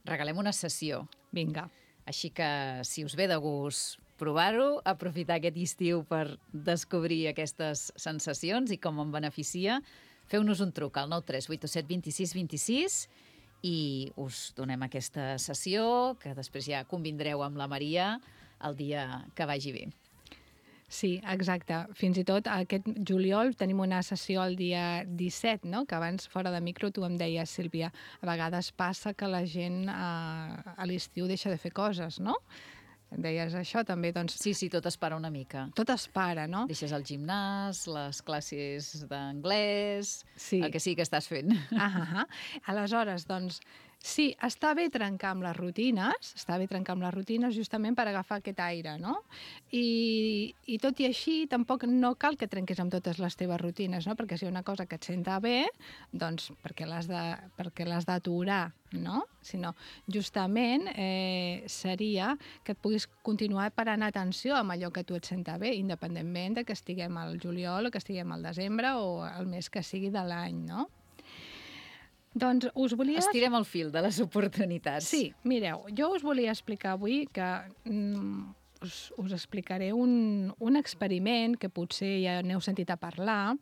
Regalem una sessió. Vinga. Així que, si us ve de gust provar-ho, aprofitar aquest estiu per descobrir aquestes sensacions i com em beneficia, feu-nos un truc al 93827 26 26 i us donem aquesta sessió, que després ja convindreu amb la Maria el dia que vagi bé. Sí, exacte. Fins i tot aquest juliol tenim una sessió el dia 17, no? Que abans, fora de micro, tu em deies, Sílvia, a vegades passa que la gent a l'estiu deixa de fer coses, no? Em deies això també, doncs... Sí, tot es para una mica. Tot es para, no? Deixes el gimnàs, les classes d'anglès, el que sí que estàs fent. Aleshores, doncs, sí, està bé trencar amb les rutines, justament per agafar aquest aire, no? I tot i així, tampoc no cal que trenquis amb totes les teves rutines, no? Perquè si hi ha una cosa que et senta bé, doncs perquè l'has d'aturar, no? Sinó, justament, seria que et puguis continuar parant atenció amb allò que a tu et senta bé, independentment de que estiguem al juliol o que estiguem al desembre o el mes que sigui de l'any, no? Doncs us volia... Estirem el fil de les oportunitats. Sí, mireu, jo us volia explicar avui que us explicaré un experiment que potser ja n'heu sentit a parlar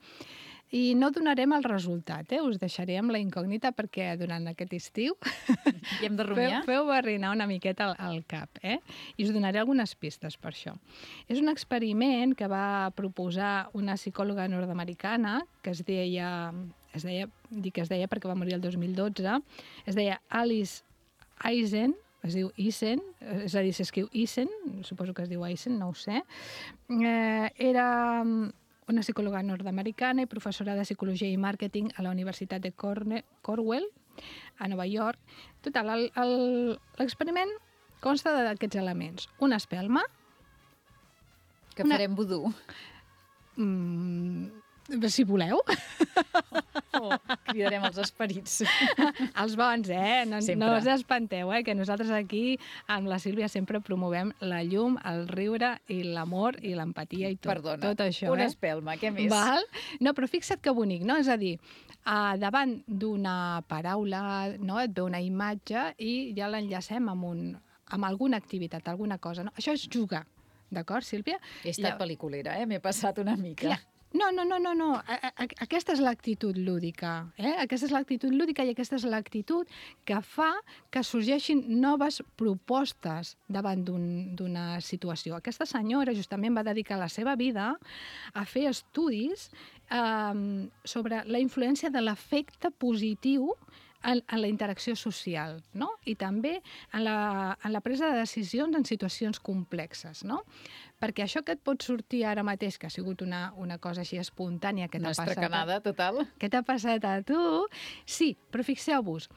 i no donarem el resultat, us deixaré amb la incògnita perquè durant aquest estiu I hem de rumiar? feu barrinar una miqueta al cap, i us donaré algunes pistes per això. És un experiment que va proposar una psicòloga nord-americana que es deia perquè va morir el 2012, es deia Alice Eisen, es diu Eisen, és a dir, s'escriu Eisen, suposo que es diu Eisen, no ho sé. Era una psicòloga nord-americana i professora de psicologia i màrqueting a la Universitat de Cornell, a Nova York. Total, l'experiment consta d'aquests elements. Una espelma. Que farem vudú. Si voleu. Cridarem els esperits. Els bons, No Sempre. us espanteu, que nosaltres aquí amb la Sílvia sempre promovem la llum, el riure i l'amor i l'empatia i tot, Perdona, tot això. una espelma, què més? Val? No, però fixa't que bonic, no? És a dir, davant d'una paraula, no? Et ve una imatge i ja l'enllacem amb alguna activitat, alguna cosa. No? Això és jugar, d'acord, Sílvia? He estat pel·liculera, m'he passat una mica. No. Aquesta és l'actitud lúdica. Aquesta és l'actitud lúdica i aquesta és l'actitud que fa que sorgeixin noves propostes davant d'una situació. Aquesta senyora justament va dedicar la seva vida a fer estudis sobre la influència de l'efecte positiu en la interacció social, no? I també en la presa de decisions en situacions complexes, no? Perquè això que et pot sortir ara mateix, que ha sigut una cosa així espontània que t'ha passat... Una estracanada total. Que t'ha passat a tu, sí, però fixeu-vos,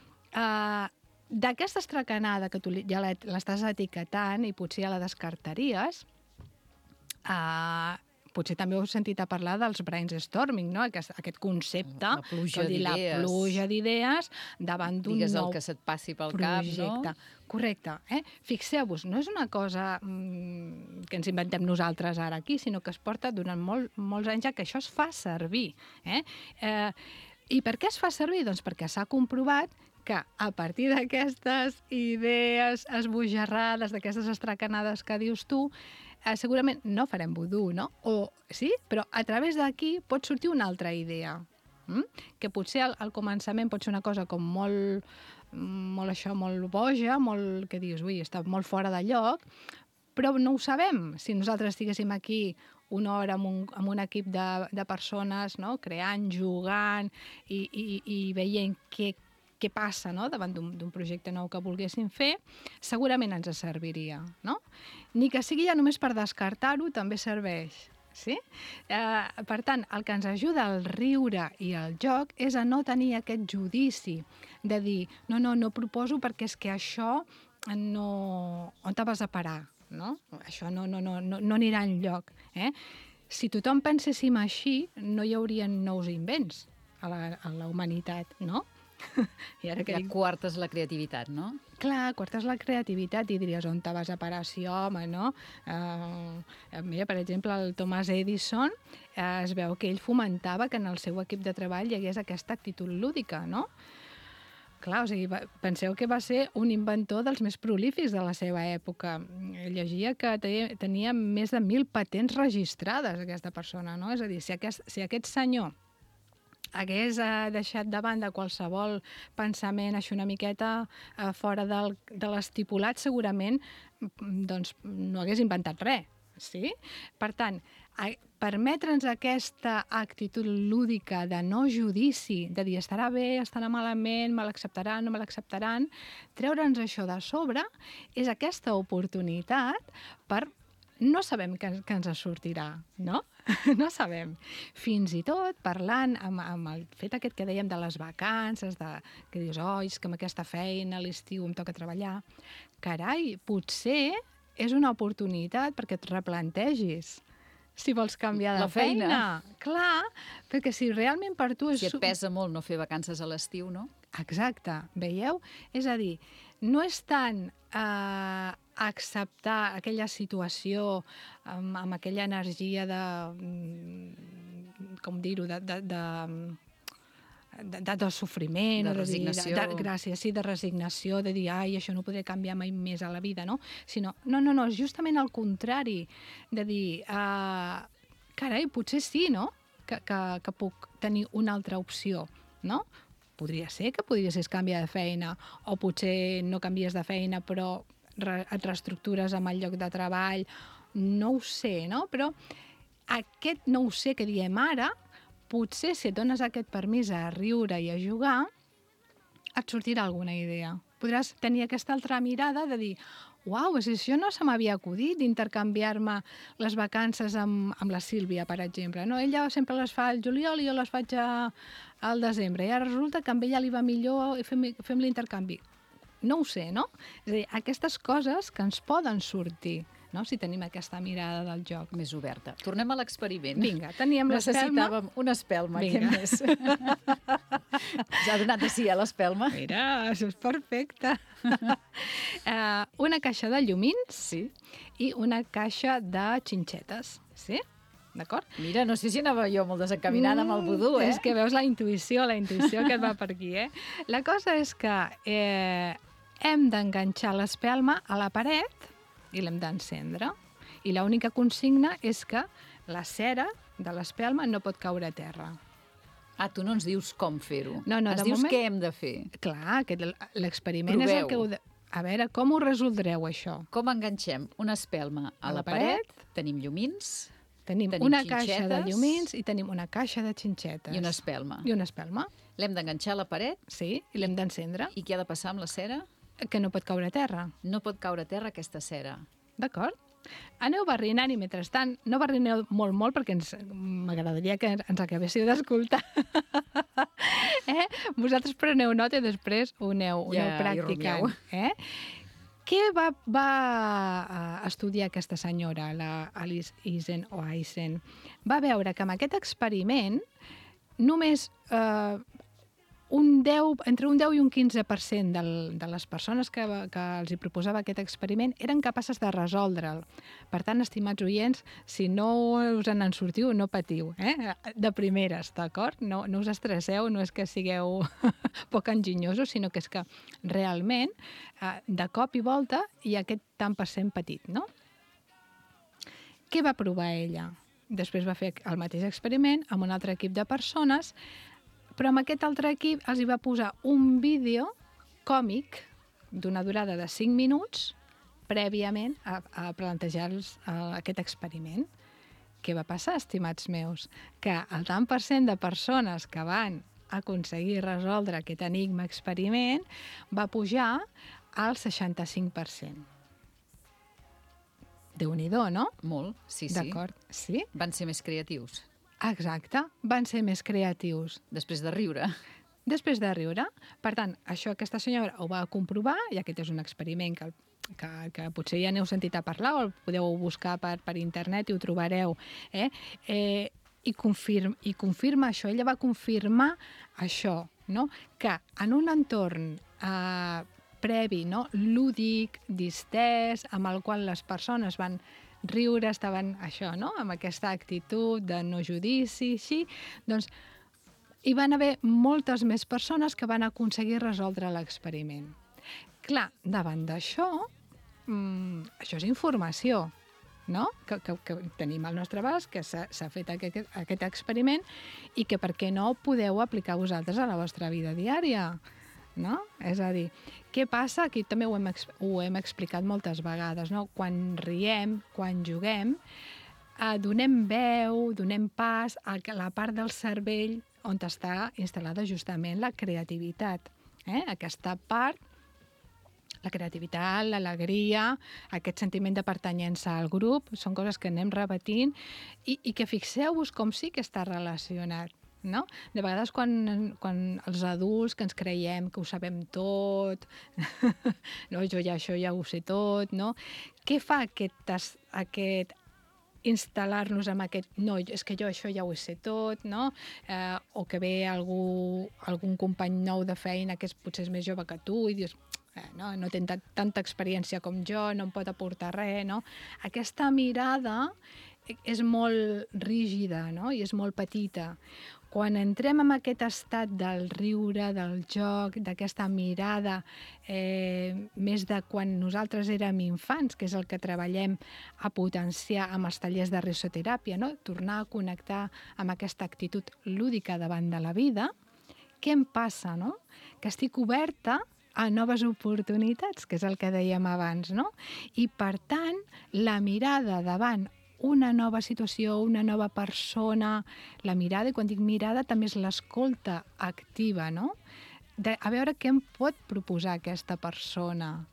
d'aquesta estracanada que tu ja l'estàs etiquetant i potser ja la descartaries, potser també heu sentit a parlar dels brainstorming, no? Aquest concepte, La pluja d'idees. La pluja d'idees davant d'un Digues nou el que se't passi pel projecte. cap, no? Correcte. Fixeu-vos, no és una cosa que ens inventem nosaltres ara aquí, sinó que es porta durant molts anys ja que això es fa servir. I per què es fa servir? Doncs perquè s'ha comprovat que a partir d'aquestes idees esbojarrades, d'aquestes estracanades que dius tu, segurament no farem vudú, no? Sí? Però a través d'aquí pot sortir una altra idea, que potser al començament pot ser una cosa com molt boja, que dius, ui, està molt fora de lloc, però no ho sabem. Si nosaltres estiguéssim aquí una hora amb un equip de persones, no? Creant, jugant i veient què passa, no? Davant d'un projecte nou que volguéssim fer, segurament ens serviria, no? Ni que sigui ja només per descartar-ho, també serveix. Sí? Per tant, el que ens ajuda el riure i el joc és a no tenir aquest judici de dir, no proposo perquè és que això no... On te vas a parar? No? Això no anirà enlloc. Si tothom penséssim així, no hi haurien nous invents a la humanitat, no? I ara Ja quartes la creativitat, no? Clar, quartes la creativitat i diries on te vas a parar, sí, home, no? Mira, per exemple, el Thomas Edison es veu que ell fomentava que en el seu equip de treball hi hagués aquesta actitud lúdica, no? Clar, o sigui, penseu que va ser un inventor dels més prolífics de la seva època. Llegia que tenia més de 1.000 patents registrades, aquesta persona, no? És a dir, si aquest senyor hagués deixat de banda qualsevol pensament així una miqueta fora de l'estipulat, segurament doncs, no hagués inventat res. Sí? Per tant, permetre'ns aquesta actitud lúdica de no judici, de dir estarà bé, estarà malament, me l'acceptaran, no me l'acceptaran, treure'ns això de sobre és aquesta oportunitat per... No sabem què ens sortirà, no? No sabem. Fins i tot parlant amb el fet aquest que dèiem de les vacances, que dius, és que amb aquesta feina a l'estiu em toca treballar. Carai, potser és una oportunitat perquè et replantegis si vols canviar de feina. Clar, perquè si realment per tu és... Si et pesa molt no fer vacances a l'estiu, no? Exacte, veieu? És a dir, no és tant acceptar aquella situació amb aquella energia de... com dir-ho? De sofriment, de resignació. Gràcies, sí, de resignació, de dir, això no ho podré canviar mai més a la vida, no? Sinó, no, justament al contrari, de dir, carai, potser sí, no?, que puc tenir una altra opció, no? Podria ser que podries canviar de feina, o potser no canvies de feina, però et reestructures amb el lloc de treball, no ho sé, no? Però aquest no ho sé que diem ara, potser si et dones aquest permís a riure i a jugar, et sortirà alguna idea. podràs tenir aquesta altra mirada de dir uau, si això no se m'havia acudit d'intercanviar-me les vacances amb la Sílvia, per exemple. No? Ella sempre les fa al juliol i jo les faig al desembre. I ara resulta que amb ella li va millor i fem l'intercanvi. No ho sé, no? És a dir, aquestes coses que ens poden sortir, no? Si tenim aquesta mirada del joc. Més oberta. Tornem a l'experiment. Vinga, teníem l'espelma. Necessitàvem una espelma, Vinga. què més? S'ha donat de sí a l'espelma? Mira, això és perfecte. Una caixa de llumins i una caixa de xinxetes, sí? D'acord? Mira, no sé si anava jo molt desencaminada amb el vudú, És que veus la intuïció que et va per aquí, La cosa és que hem d'enganxar l'espelma a la paret i l'hem d'encendre. I l'única consigna és que la cera de l'espelma no pot caure a terra. Ah, tu no ens dius com fer-ho. No, ens de dius moment... què hem de fer. Clar, l'experiment és el que heu de... A veure, com ho resoldreu, això? Com enganxem una espelma a la paret? Tenim llumins, Tenim una caixa de llumins i tenim una caixa de xinxetes. i una espelma. I una espelma, L'hem d'enganxar a la paret sí, i l'hem d'encendre, i què ha de passar amb la cera? que no pot caure a terra. No pot caure a terra aquesta cera. D'acord? Aneu barrinant i mentrestant, no barrineu molt perquè m'agradaria que ens acabéssiu d'escoltar. Vosaltres preneu nota i després ho aneu practicant. Què va estudiar aquesta senyora, la Alice Eisen? Va veure que amb aquest experiment només entre un 10 i un 15% de les persones que els hi proposava aquest experiment eren capaces de resoldre'l. Per tant, estimats oients, si no us en sortiu, no patiu, de primeres, d'acord? No us estresseu, no és que sigueu poc enginyosos, sinó que és que realment, de cop i volta, hi ha aquest tant per cent petit, no? Què va provar ella? Després va fer el mateix experiment amb un altre equip de persones, però amb aquest altre equip els hi va posar un vídeo còmic d'una durada de 5 minuts prèviament a plantejar-los aquest experiment. Què va passar, estimats meus? Que el tant per cent de persones que van aconseguir resoldre aquest enigma experiment va pujar al 65%. Déu-n'hi-do, no? Molt, sí. D'acord, sí? Van ser més creatius. Exacte, van ser més creatius. Després de riure. Després de riure. Per tant, això aquesta senyora ho va comprovar, i aquest és un experiment que potser ja n'heu sentit a parlar, o el podeu buscar per internet i ho trobareu. I confirma això. Ella va confirmar això, no? Que en un entorn previ, no? Lúdic, distès, amb el qual les persones van riure, estaven això, no? Amb aquesta actitud de no judici, així, doncs hi van haver moltes més persones que van aconseguir resoldre l'experiment. Clar, davant d'això, això és informació, no? Que tenim al nostre abast, que s'ha fet aquest experiment i que per què no podeu aplicar vosaltres a la vostra vida diària, no? És a dir, què passa? Aquí també ho hem explicat moltes vegades, no? Quan riem, quan juguem, donem veu, donem pas a la part del cervell on està instal·lada justament la creativitat. Aquesta part, la creativitat, l'alegria, aquest sentiment de pertanyença al grup, són coses que anem repetint i que fixeu-vos com sí que està relacionat. No? De vegades quan els adults que ens creiem que ho sabem tot, no? Jo això ja ho sé tot, no? Què fa aquest instal·lar-nos amb aquest no, és que jo això ja ho sé tot, no? O que ve algun company nou de feina que potser és més jove que tu i dius no té tanta experiència com jo, no em pot aportar res, no? Aquesta mirada és molt rígida, no? I és molt petita. Quan entrem en aquest estat del riure, del joc, d'aquesta mirada més de quan nosaltres érem infants, que és el que treballem a potenciar amb els tallers de risoteràpia, no? Tornar a connectar amb aquesta actitud lúdica davant de la vida, què em passa, no? Que estic oberta a noves oportunitats, que és el que dèiem abans, no? I, per tant, la mirada davant una nova situació, una nova persona, la mirada, i quan dic mirada també és l'escolta activa, no? a veure què em pot proposar aquesta persona,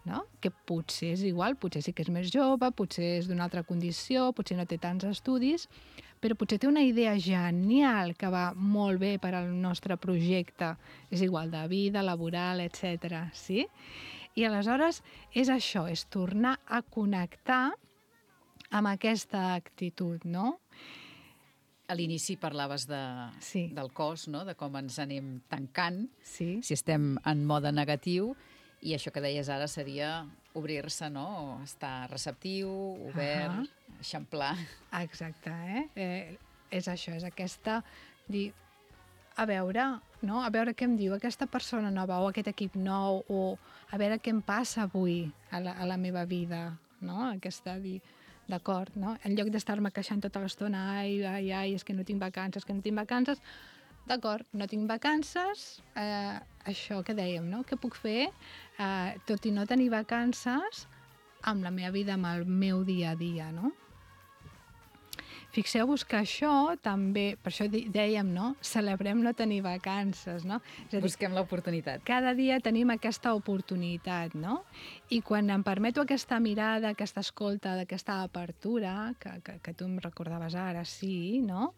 no? Que potser és igual, potser sí que és més jove, potser és d'una altra condició, potser no té tants estudis, però potser té una idea genial que va molt bé per al nostre projecte, és igual, de vida, laboral, etc. Sí? I aleshores és això, és tornar a connectar amb aquesta actitud, no? A l'inici parlaves del cos, no? De com ens anem tancant, si estem en mode negatiu, i això que deies ara seria obrir-se, no? Estar receptiu, obert, eixamplar. Exacte, és això, és aquesta... dir, a veure què em diu aquesta persona nova o aquest equip nou, o a veure què em passa avui a la meva vida, no? Aquesta dir... D'acord, no? En lloc d'estar-me queixant tota l'estona, ai, és que no tinc vacances, d'acord, no tinc vacances, això que dèiem, no? Què puc fer, tot i no tenir vacances, amb la meva vida, amb el meu dia a dia, no? Fixeu-vos que això també, per això dèiem, no? Celebrem no tenir vacances, no? És a dir, busquem l'oportunitat. Cada dia tenim aquesta oportunitat, no? I quan em permeto aquesta mirada, aquesta escolta, aquesta apertura, que tu em recordaves ara, sí, no?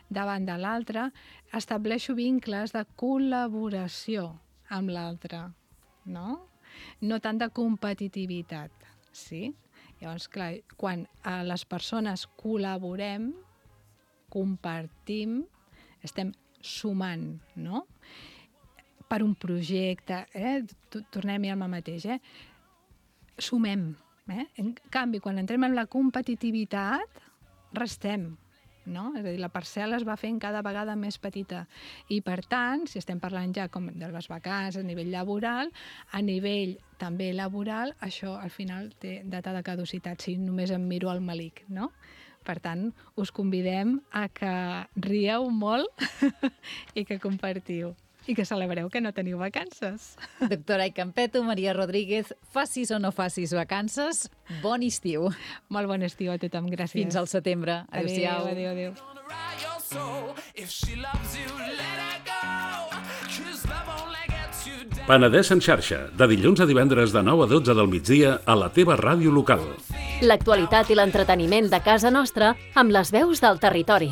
Davant de l'altre, estableixo vincles de col·laboració amb l'altre, no? No tant de competitivitat, sí? Llavors, clar, quan les persones col·laborem, compartim, estem sumant, no? Per un projecte, tornem-hi al mateix, sumem. En canvi, quan entrem en la competitivitat, restem, no? És a dir, la parcel·la es va fent cada vegada més petita. I, per tant, si estem parlant ja com de les vacances a nivell laboral, a nivell també laboral, això al final té data de caducitat, si només em miro al malic, no? Per tant, us convidem a que rieu molt i que compartiu. I que celebreu que no teniu vacances. Doctora Icampetto, Maria Rodríguez, facis o no facis vacances, bon estiu. Molt bon estiu a tothom, gràcies. Fins al setembre. Adéu-siau. Adéu. Penedès en xarxa, de dilluns a divendres de 9 a 12 del migdia a la teva ràdio local. L'actualitat i l'entreteniment de casa nostra amb les veus del territori.